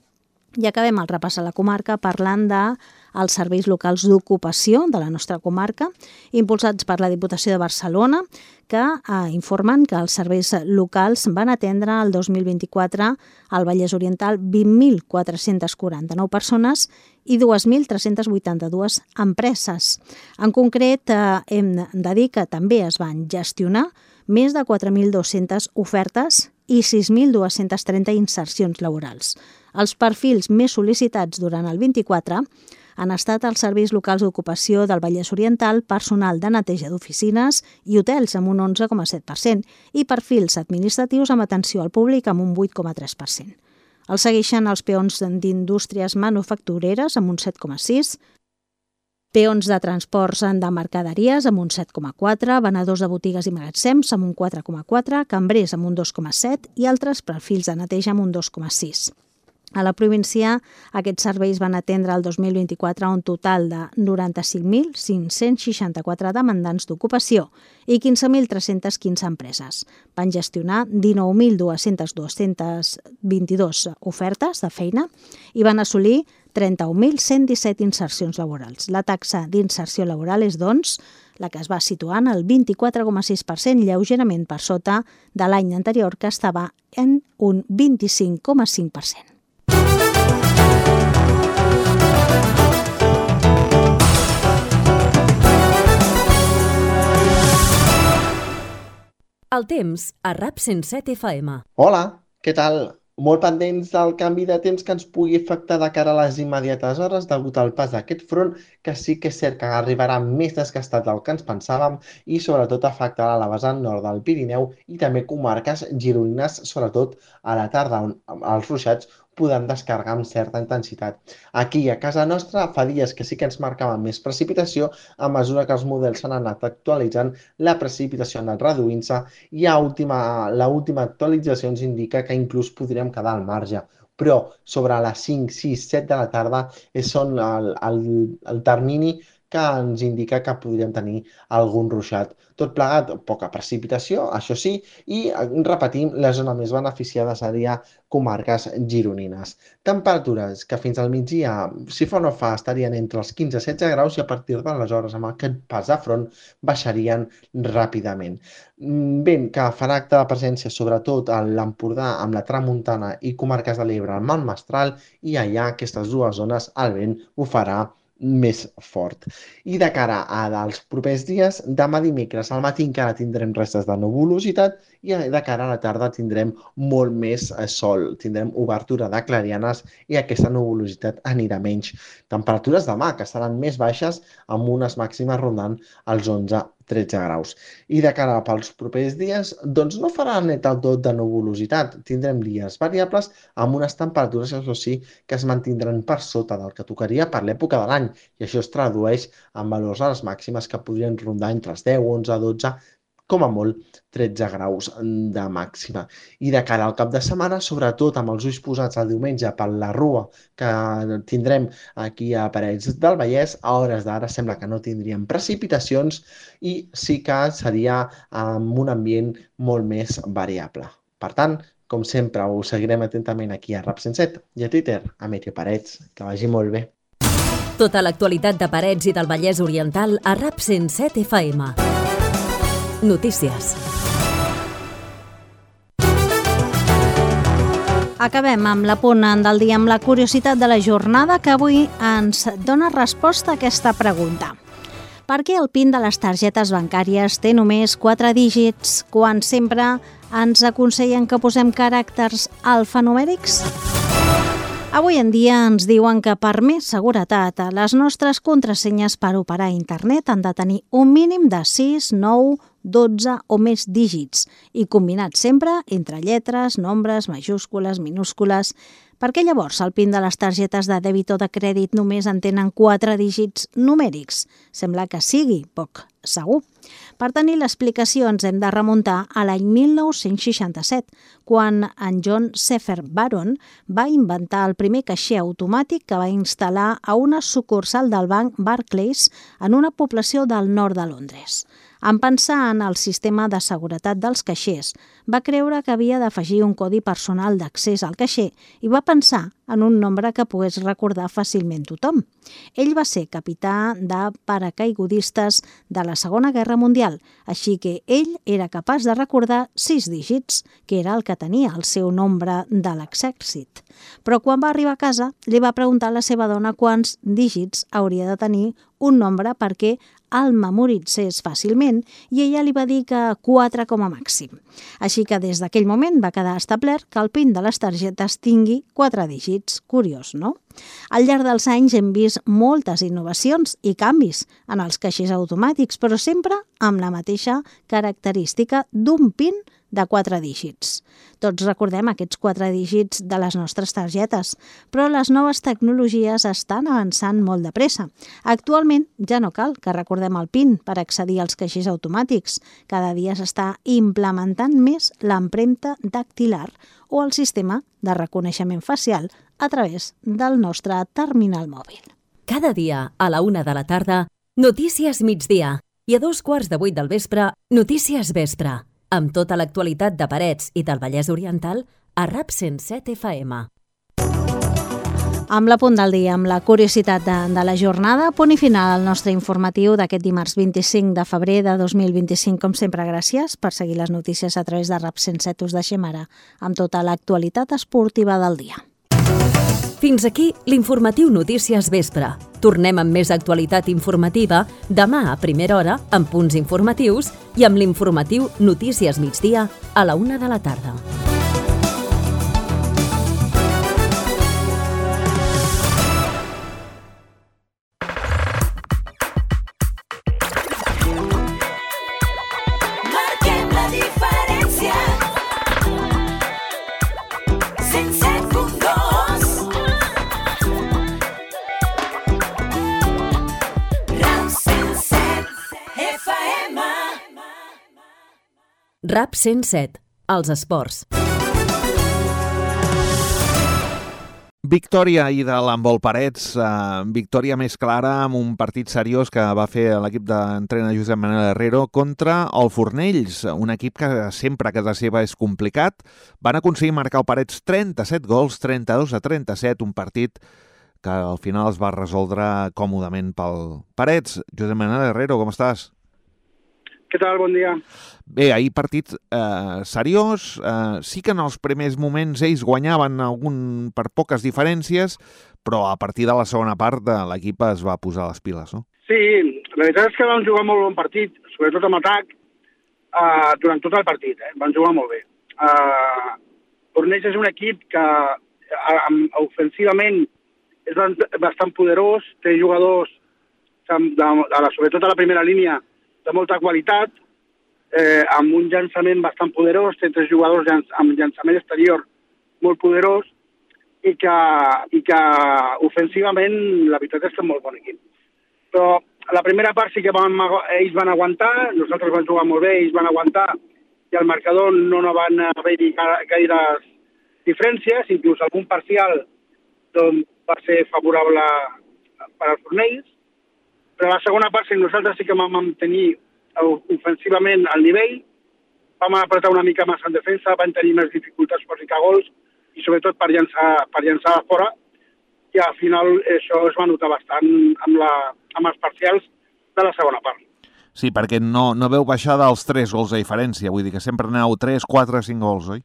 I acabem el repàs a la comarca parlant dels serveis locals d'ocupació de la nostra comarca, impulsats per la Diputació de Barcelona, que eh, informen que els serveis locals van atendre el dos mil vint-i-quatre al Vallès Oriental vint mil quatre-cents quaranta-nou persones i dos mil tres-cents vuitanta-dues empreses. En concret, eh, hem de dir que també es van gestionar més de quatre mil dues-centes ofertes i sis mil dos-cents trenta insercions laborals. Els perfils més sol·licitats durant el vint-i-quatre han estat els serveis locals d'ocupació del Vallès Oriental, personal de neteja d'oficines i hotels amb un onze coma set per cent i perfils administratius amb atenció al públic amb un vuit coma tres per cent. Els segueixen els peons d'indústries manufactureres amb un set coma sis per cent, peons de transports de mercaderies amb un set coma quatre per cent, venedors de botigues i magatzems amb un quatre coma quatre per cent, cambrers amb un dos coma set per cent i altres perfils de neteja amb un dos coma sis per cent. A la província, aquests serveis van atendre el dos mil vint-i-quatre un total de noranta-cinc mil cinc-cents seixanta-quatre demandants d'ocupació i quinze mil tres-cents quinze empreses. Van gestionar dinou mil dos-cents vint-i-dos ofertes de feina i van assolir trenta-un mil cent disset insercions laborals. La taxa d'inserció laboral és, doncs, la que es va situar en el vint-i-quatre coma sis per cent, lleugerament per sota de l'any anterior, que estava en un vint-i-cinc coma cinc per cent. El temps a RAP cent set F M. Hola, què tal? Molt pendents del canvi de temps que ens pugui afectar de cara a les immediates hores degut al pas d'aquest front, que sí que és cert que arribarà més desgastat del que ens pensàvem i sobretot afectarà la vessant nord del Pirineu i també comarques gironines, sobretot a la tarda, on els ruixats podem descarregar amb certa intensitat. Aquí, a casa nostra, fa dies que sí que ens marcaven més precipitació, a mesura que els models s'han anat actualitzant, la precipitació ha anat reduint-se i a última, la última actualització ens indica que inclús podríem quedar al marge. Però sobre les cinc, sis, set de la tarda és on el, el, el termini que ens indica que podríem tenir algun ruixat. Tot plegat, poca precipitació, això sí, i repetim, la zona més beneficiada seria comarques gironines. Temperatures que fins al migdia, si fa o no fa, estarien entre els quinze i setze graus i a partir d'aleshores, amb aquest pas de front, baixarien ràpidament. Vent que farà acte de presència sobretot a l'Empordà amb la Tramuntana i comarques de l'Ebre amb el Mestral i allà aquestes dues zones el vent bufarà més fort. I de cara a dels propers dies, demà dimecres al matí encara tindrem restes de nuvolositat i de cara a la tarda tindrem molt més sol, tindrem obertura de clarianes i aquesta nuvolositat anirà menys. Temperatures demà que seran més baixes amb unes màximes rondant els onze tretze graus. I de cara pels propers dies, doncs no farà net el tot de nuvolositat. Tindrem dies variables amb unes temperatures, això sí, que es mantindran per sota del que tocaria per l'època de l'any. I això es tradueix en valors a les màximes que podrien rondar entre els deu, onze, dotze, com a molt tretze graus de màxima. I de cara al cap de setmana, sobretot amb els ulls posats el diumenge per la rua que tindrem aquí a Parets del Vallès, a hores d'ara sembla que no tindríem precipitacions i sí que seria amb un ambient molt més variable. Per tant, com sempre, us seguirem atentament aquí a Rap cent set i a Twitter, a Meteo Parets. Que vagi molt bé. Tota l'actualitat de Parets i del Vallès Oriental a Rap cent set F M. Notícies. Acabem amb l'apunt del dia amb la curiositat de la jornada que avui ens dona resposta a aquesta pregunta. Per què el PIN de les targetes bancàries té només quatre dígits quan sempre ens aconsellen que posem caràcters alfanumèrics? Avui en dia ens diuen que per més seguretat les nostres contrasenyes per operar a internet han de tenir un mínim de sis, nou, dotze o més dígits i combinats sempre entre lletres, nombres, majúscules, minúscules. Per què llavors el PIN de les targetes de dèbit o de crèdit només en tenen quatre dígits numèrics? Sembla que sigui poc segur. Per tenir l'explicació ens hem de remuntar a l'any mil nou-cents seixanta-set, quan en John Sefer Baron va inventar el primer caixer automàtic que va instal·lar a una sucursal del banc Barclays en una població del nord de Londres. En pensar en el sistema de seguretat dels caixers, va creure que havia d'afegir un codi personal d'accés al caixer i va pensar en un nombre que pogués recordar fàcilment tothom. Ell va ser capità de paracaigudistes de la Segona Guerra Mundial, així que ell era capaç de recordar sis dígits, que era el que tenia el seu nombre de l'exèrcit. Però quan va arribar a casa, li va preguntar a la seva dona quants dígits hauria de tenir un nombre perquè el memoritzés fàcilment i ella li va dir que quatre com a màxim. Així que des d'aquell moment va quedar establert que el PIN de les targetes tingui quatre dígits. Curiós, no? Al llarg dels anys hem vist moltes innovacions i canvis en els caixers automàtics, però sempre amb la mateixa característica d'un PIN de quatre dígits. Tots recordem aquests quatre dígits de les nostres targetes, però les noves tecnologies estan avançant molt de pressa. Actualment ja no cal que recordem el PIN per accedir als caixers automàtics. Cada dia s'està implementant més l'empremta dactilar o el sistema de reconeixement facial a través del nostre terminal mòbil. Cada dia a la una de la tarda, Notícies Migdia i a dos quarts de vuit del vespre, Notícies Vespre, amb tota l'actualitat de Parets i del Vallès Oriental a Rap cent set F M. Amb la punt del dia, amb la curiositat de, de la jornada, punt i final al nostre informatiu d'aquest dimarts vint-i-cinc de febrer de dos mil vint-i-cinc. Com sempre, gràcies per seguir les notícies a través de Rap cent set. Us deixem ara amb tota l'actualitat esportiva del dia. Fins aquí l'informatiu Notícies Vespre. Tornem amb més actualitat informativa demà a primera hora amb punts informatius i amb l'informatiu Notícies Migdia a la una de la tarda. Rap cent set, els esports. Victòria ahir de l'handbol Parets, eh, victòria més clara amb un partit seriós que va fer l'equip d'entrenador Josep Manel Herrero contra el Fornells, un equip que sempre a casa seva és complicat. Van aconseguir marcar el Parets trenta-set gols, trenta-dos a trenta-set, un partit que al final es va resoldre còmodament pel Parets. Josep Manel Herrero, com estàs? Què tal? Bon dia. Bé, ahir partit eh, seriós, eh, sí que en els primers moments ells guanyaven algun per poques diferències, però a partir de la segona part de l'equip es va posar les piles, no? Sí, la veritat és que vam jugar molt bon partit, sobretot amb atac, uh, durant tot el partit, eh? Van jugar molt bé. Uh, Fornells és un equip que uh, ofensivament és bastant poderós, té jugadors, de, de, de la, sobretot a la primera línia, de molta qualitat, eh, amb un llançament bastant poderós, té tres jugadors llanç, amb llançament exterior molt poderós, i que, i que ofensivament la veritat és que és molt bon equip. Però la primera part sí que van, ells van aguantar, nosaltres vam jugar molt bé, ells van aguantar, i al marcador no, no van haver-hi gaires diferències, inclús algun parcial doncs, va ser favorable per als Fornells, però a la segona part sí, nosaltres sí que vam mantenir ofensivament el nivell, vam apretar una mica més en defensa, vam tenir més dificultats per ficar gols i sobretot per llançar, per llançar a fora, i al final això es va notar bastant amb, la, amb els parcials de la segona part. Sí, perquè no, no veu baixar dels tres gols de diferència, vull dir que sempre aneu tres, quatre, cinc gols, oi?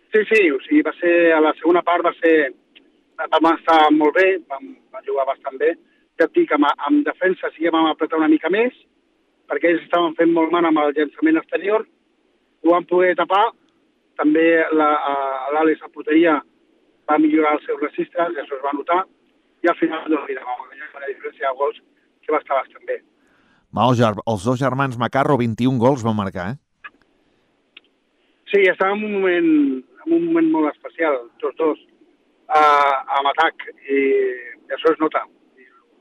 Sí, sí, o sigui, va ser, a la segona part va ser, vam estar molt bé, vam, vam jugar bastant bé, ja et dic, amb, amb defensa sí que vam apretar una mica més, perquè ells estaven fent molt mal amb el llançament exterior, ho van poder tapar, també l'Àlex a porteria va millorar els seus registres, això es va notar, i al final doncs, mira, vam guanyar una diferència de gols que va estar bastant bé. Va, els, els dos germans Macarro, vint-i-un gols van marcar, eh? Sí, estava en un moment, en un moment molt especial, tots dos, uh, amb atac, i, i això es nota.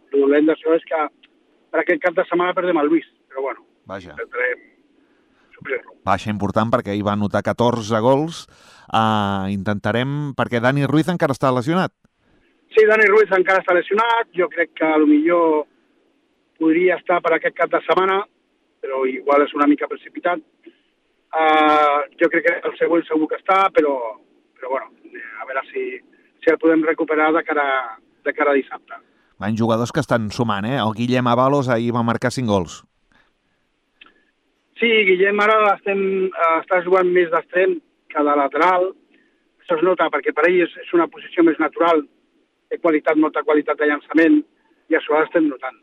El dolent d'això és que per aquest cap de setmana perdem el Lluís, però bueno, Vaja. intentarem suplir-lo. Baixa important perquè hi va anotar catorze gols. Uh, intentarem, perquè Dani Ruiz encara està lesionat. Sí, Dani Ruiz encara està lesionat, jo crec que potser podria estar per aquest cap de setmana, però igual és una mica precipitat. Uh, jo crec que el següent segur que està, però, però bueno, a veure si, si el podem recuperar de cara, de cara a dissabte. Van jugadors que estan sumant, eh? El Guillem Avalos ahir va marcar cinc gols. Sí, Guillem ara estem, està jugant més d'extrem que de lateral. Això es nota perquè per ell és, és una posició més natural, de qualitat, molta qualitat de llançament, i això l'estem notant.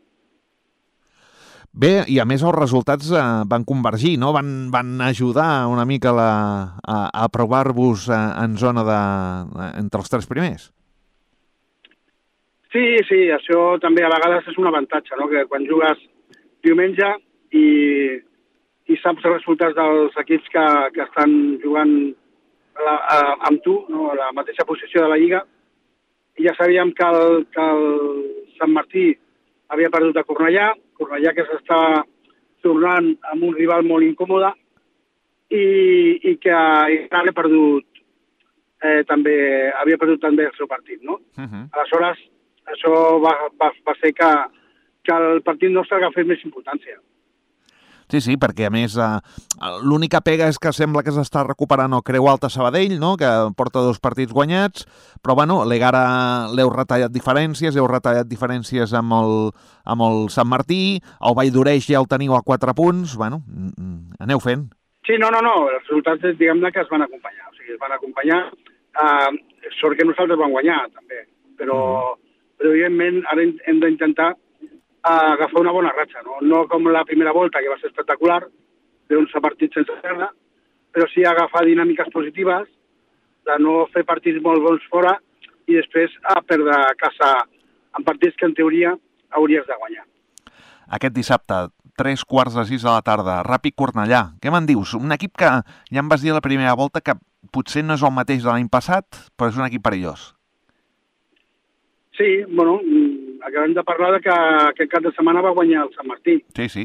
Bé, i a més els resultats eh, van convergir, no? Van, van ajudar una mica la, a, a provar-vos eh, en zona de, entre els tres primers. Sí, sí, això també a vegades és un avantatge, no? Que quan jugues diumenge i, i saps els resultats dels equips que, que estan jugant la, a, amb tu, no? A la mateixa posició de la Lliga, i ja sabíem que el, que el Sant Martí havia perdut a Cornellà, Cornellà que s'està tornant amb un rival molt incòmode, i, i que havia perdut, eh, també, havia perdut també el seu partit, no? Uh-huh. Aleshores, això va, va, va fer que, que el partit nostre agafés més importància. Sí, sí, perquè a més eh, l'única pega és que sembla que s'està recuperant el Creu Alta Sabadell, no? Que porta dos partits guanyats, però bueno, l'Egara l'heu retallat diferències, heu retallat diferències amb el, amb el Sant Martí, el Vall d'Oreix ja el teniu a quatre punts, bueno, aneu fent. Sí, no, no, no, els resultats diguem-ne que es van acompanyar, o sigui, es van acompanyar, eh, sort que nosaltres vam guanyar també, però, mm. però evidentment ara hem d'intentar a agafar una bona ratxa, no? No com la primera volta, que va ser espectacular, d'onze partits sense perdre, però sí agafar dinàmiques positives, de no fer partits molt bons fora i després a perdre a casa en partits que en teoria hauries de guanyar. Aquest dissabte, tres quarts de sis de la tarda, Ràpid Cornellà. Què me'n dius? Un equip que ja em vas dir a la primera volta que potser no és el mateix de l'any passat, però és un equip perillós. Sí, bueno, acabem de parlar de que aquest cap de setmana va guanyar el Sant Martí. Sí, sí.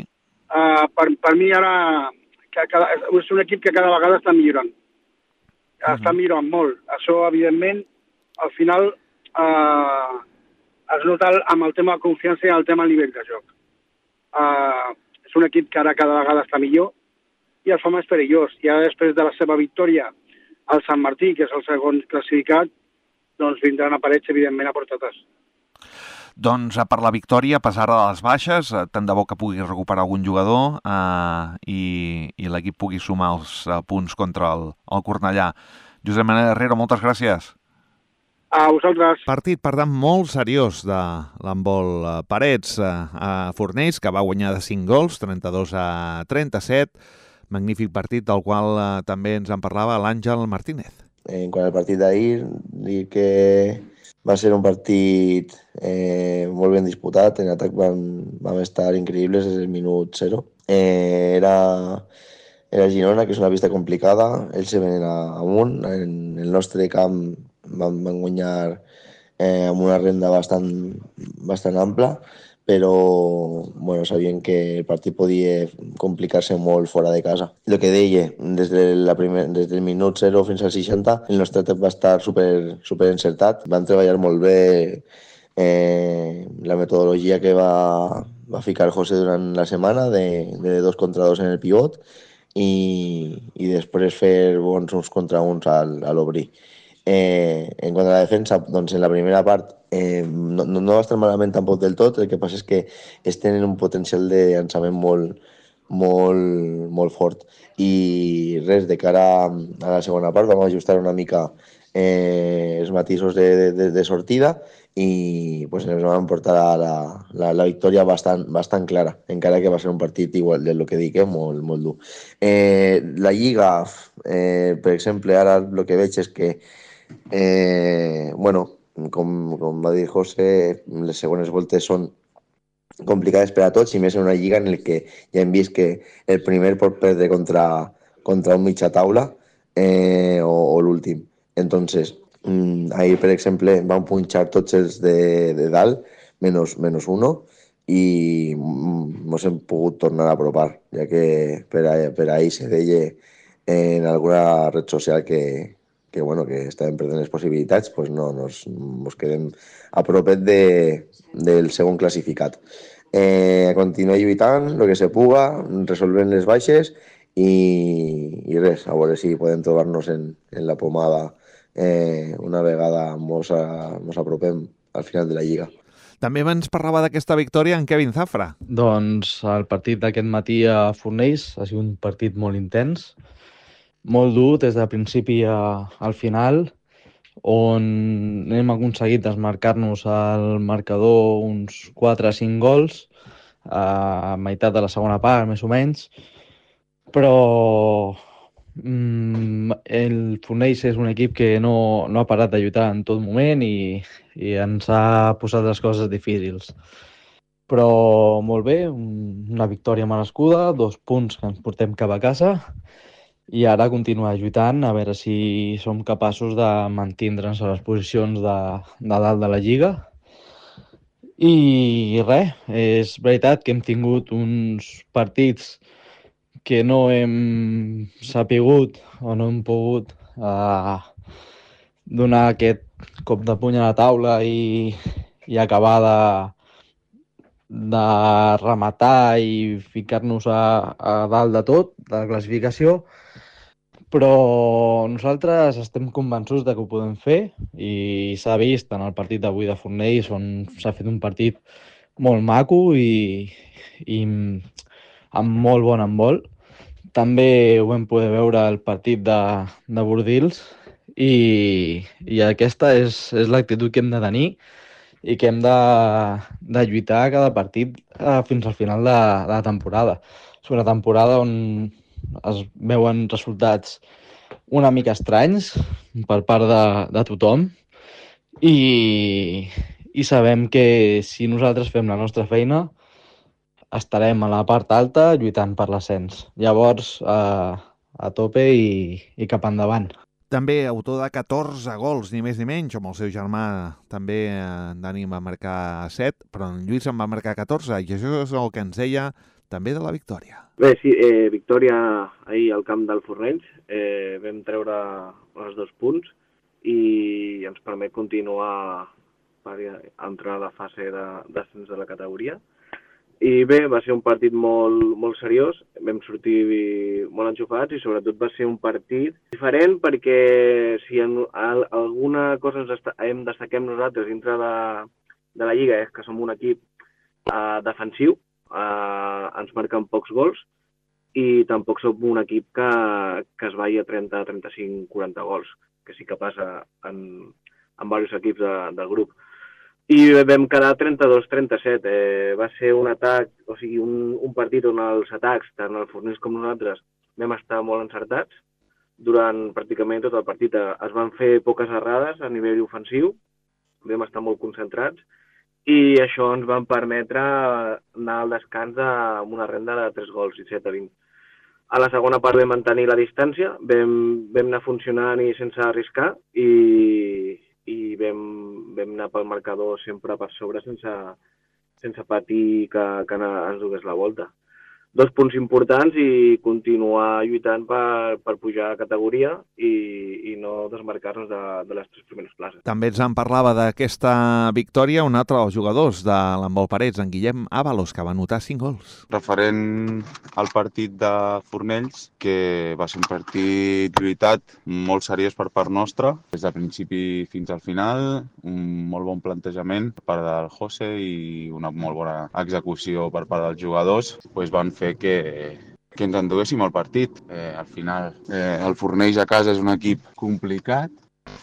Uh, per, per mi ara que cada, és un equip que cada vegada està millorant. Uh-huh. Està millorant molt. Això, evidentment, al final uh, es nota amb el tema de confiança i el tema del nivell de joc. Uh, és un equip que ara cada vegada està millor i el fa més perillós. I ara, després de la seva victòria al Sant Martí, que és el segon classificat, doncs vindran aparells, evidentment, a portates. Doncs per la victòria, a pesar de les baixes, tant de bo que pugui recuperar algun jugador eh, i, i l'equip pugui sumar els eh, punts contra el, el Cornellà. Josep Manel Herrero, moltes gràcies. A vosaltres. Partit, per tant, molt seriós de l'handbol Parets a Fornells, que va guanyar de cinc gols, trenta-dos a trenta-set. Magnífic partit del qual eh, també ens en parlava l'Àngel Martínez. En quant al partit d'ahir, dir que va ser un partit eh, molt ben disputat. En atac vam, vam estar increïbles des del minut zero. Eh, era, era Girona, que és una pista complicada. Ells se venen amunt. En el nostre camp van, van guanyar eh, amb una renda bastant, bastant ampla, però bueno, sabien que el partit podia complicar-se molt fora de casa. El que deia, des, de la primer, des del minut zero fins al seixanta, el nostre atac va estar super, super encertat. Van treballar molt bé eh, la metodologia que va, va ficar José durant la setmana, de, de dos contra dos en el pivot, i, i després fer bons uns contra uns al, a l'obrir. Eh, en quant a la defensa, doncs en la primera part eh, no, no va estar malament tampoc del tot. El que passa és que es tenen un potencial de llançament molt, molt, molt fort, i res, de cara a la segona part vam ajustar una mica eh, els matisos de, de, de sortida, i pues, ens vam portar la, la, la victòria bastant, bastant clara, encara que va ser un partit igual del que dic, eh, molt, molt dur. Eh, la Lliga, eh, per exemple, ara el que veig és que Eh, bueno, com, com va dir José, les segones voltes són complicades per a tots, i més en una lliga en el que ja hem vist que el primer pot perdre contra, contra un mitja taula eh, o, o l'últim. Entonces, ahir, per exemple, van punxar tots els de, de dalt, menys, menys uno, i ens hem pogut tornar a apropar, ja que per, a, per ahir se deia en alguna red social que que, bueno, que estàvem perdent les possibilitats, pues no, nos, nos quedem a propet de, del segon classificat. Eh, continuar lluitant, el que se puga, resolvent les baixes, i, i res, a veure si podem trobar-nos en, en la pomada eh, una vegada mos, a, mos apropem al final de la Lliga. També ens parlava d'aquesta victòria en Kevin Zafra. Doncs el partit d'aquest matí a Fornells ha sigut un partit molt intens, molt dur des del principi a, al final, on hem aconseguit desmarcar-nos al marcador uns quatre a cinc gols a meitat de la segona part, més o menys, però mm, el Fornells és un equip que no, no ha parat de lluitar en tot moment, i, i ens ha posat les coses difícils. Però molt bé, una victòria merescuda, dos punts que ens portem cap a casa, i ara continuar lluitant a veure si som capaços de mantindre'ns a les posicions de, de dalt de la Lliga. I res, és veritat que hem tingut uns partits que no hem sapigut o no hem pogut eh, donar aquest cop de puny a la taula i, i acabar de, de rematar i ficar-nos a, a dalt de tot, de la classificació, però nosaltres estem convençuts de que ho podem fer, i s'ha vist en el partit d'avui de Fornells, on s'ha fet un partit molt maco i, i amb molt bon handbol. També ho vam poder veure el partit de, de Bordils, i, i aquesta és, és l'actitud que hem de tenir i que hem de, de lluitar cada partit eh, fins al final de, de la temporada. És una temporada on es veuen resultats una mica estranys per part de, de tothom, i, i sabem que si nosaltres fem la nostra feina estarem a la part alta lluitant per l'ascens. Llavors, a, a tope i, i cap endavant. També autor de catorze gols, ni més ni menys, amb el seu germà també en Dani va marcar set, però en Lluís en va marcar catorze, i això és el que ens deia també de la victòria. Bé, sí, eh, victòria ahir al camp del Fornells. Eh, vam treure els dos punts i ens permet continuar per entrar a la fase d'ascens de, de la categoria. I bé, va ser un partit molt, molt seriós, vam sortir molt enxufats, i sobretot va ser un partit diferent, perquè si en alguna cosa ens hem destaquem nosaltres dintre de, de la Lliga és que som un equip eh, defensiu, eh, ens marquen pocs gols, i tampoc som un equip que, que es vagi a trenta, trenta-cinc, quaranta gols, que sí que passa en, amb diversos equips de, del grup. I vam quedar trenta-dos a trenta-set. Eh, va ser un atac, o sigui, un, un partit on els atacs, tant el Fornells com nosaltres, vam estar molt encertats. Durant pràcticament tot el partit es van fer poques errades a nivell ofensiu, vam estar molt concentrats, i això ens van permetre anar al descans amb una renda de tres gols, disset a vint. A la segona part vam mantenir la distància, vam, vam anar funcionant i sense arriscar, i, i vam, vam anar pel marcador sempre per sobre sense, sense patir que, que ens dugués la volta. Dos punts importants i continuar lluitant per, per pujar a categoria i, i no desmarcar-nos de, de les tres primeres places. També ens en parlava d'aquesta victòria un altre dels jugadors de l'handbol Parets, en Guillem Ábalos, que va anotar cinc gols. Referent al partit de Fornells, que va ser un partit lluitat molt seriós per part nostra, des del principi fins al final, un molt bon plantejament per part del José i una molt bona execució per part dels jugadors, pues van fer que, que ens enduguéssim el partit. Eh, al final, eh, el Fornells a casa és un equip complicat,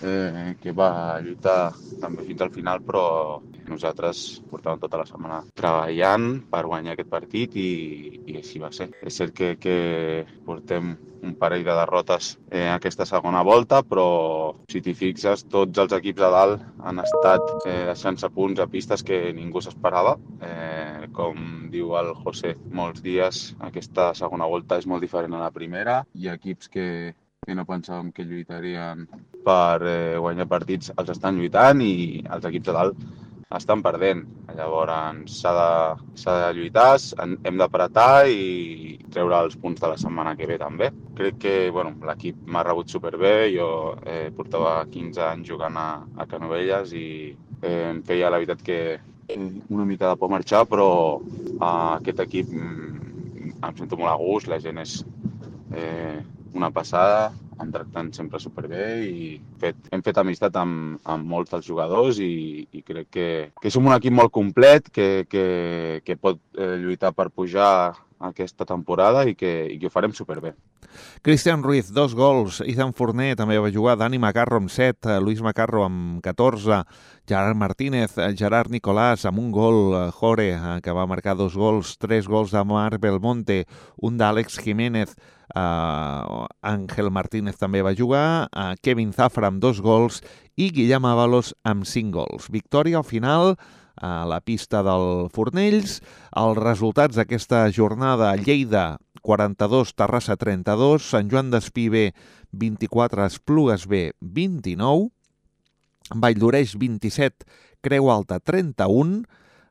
eh, que va lluitar també fins al final, però nosaltres portàvem tota la setmana treballant per guanyar aquest partit i, i així va ser. És cert que, que portem un parell de derrotes en eh, aquesta segona volta, però si t'hi fixes, tots els equips de dalt han estat eh, deixant-se punts a pistes que ningú s'esperava. Eh, com diu el José, molts dies aquesta segona volta és molt diferent a la primera. Hi ha equips que, que no pensàvem que lluitarien per eh, guanyar partits, els estan lluitant i els equips de dalt estan perdent. Llavors s'ha de, s'ha de lluitar, hem d'apretar i treure els punts de la setmana que ve també. Crec que bueno, l'equip m'ha rebut superbé, jo eh, portava quinze anys jugant a, a Canovelles i eh, em feia la veritat que una mica de por marxar, però eh, aquest equip mm, em sento molt a gust, la gent és eh, una passada, em tracten sempre superbé i fet, hem fet amistat amb, amb molts dels jugadors i, i crec que, que som un equip molt complet, que, que, que pot eh, lluitar per pujar aquesta temporada i que, i que ho farem superbé. Cristian Ruiz, dos gols. Ethan Fourné també va jugar. Dani Macarro amb set, Luis Macarro amb catorze, Gerard Martínez, Gerard Nicolàs amb un gol, Jore, que va marcar dos gols, tres gols de Marc Belmonte, un d'Àlex Jiménez, uh, Ángel Martínez també va jugar, uh, Kevin Zafra amb dos gols i Guillem Ábalos amb cinc gols. Victòria al final a la pista del Fornells. Els resultats d'aquesta jornada: Lleida quaranta-dos, Terrassa trenta-dos, Sant Joan d'Espí B vint-i-quatre, Esplugues B vint-i-nou, Valldoreix vint-i-set, Creu Alta trenta-un,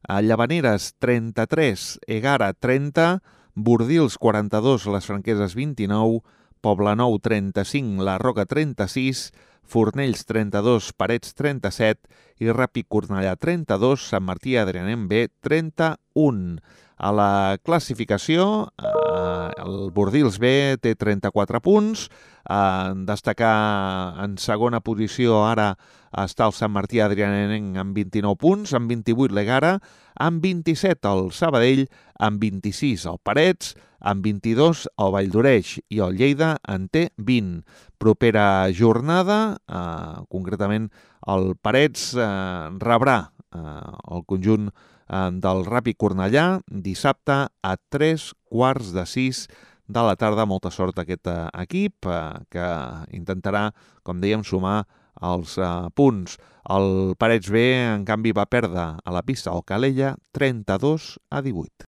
Llavaneres trenta-tres, Egara trenta, Bordils quaranta-dos, Les Franqueses vint-i-nou, Poblenou trenta-cinc, La Roca trenta-sis, Fornells trenta-dos, Parets trenta-set i Ràpid Cornellà trenta-dos, Sant Martí Adrianem B trenta-un. A la classificació, eh, el Bordils B té trenta-quatre punts, eh, destacar en segona posició ara està el Sant Martí Adrianenc amb vint-i-nou punts, amb vint-i-vuit l'Egara, amb vint-i-set el Sabadell, amb vint-i-sis el Parets, amb vint-i-dos el Valldoreix i el Lleida en té vint. Propera jornada, eh, concretament el Parets eh, rebrà eh, el conjunt eh, del Ràpid Cornellà dissabte a tres quarts de sis de la tarda. Molta sort a aquest eh, equip eh, que intentarà, com dèiem, sumar els eh, punts. El Parets B, en canvi, va perdre a la pista al Calella trenta-dos a divuit.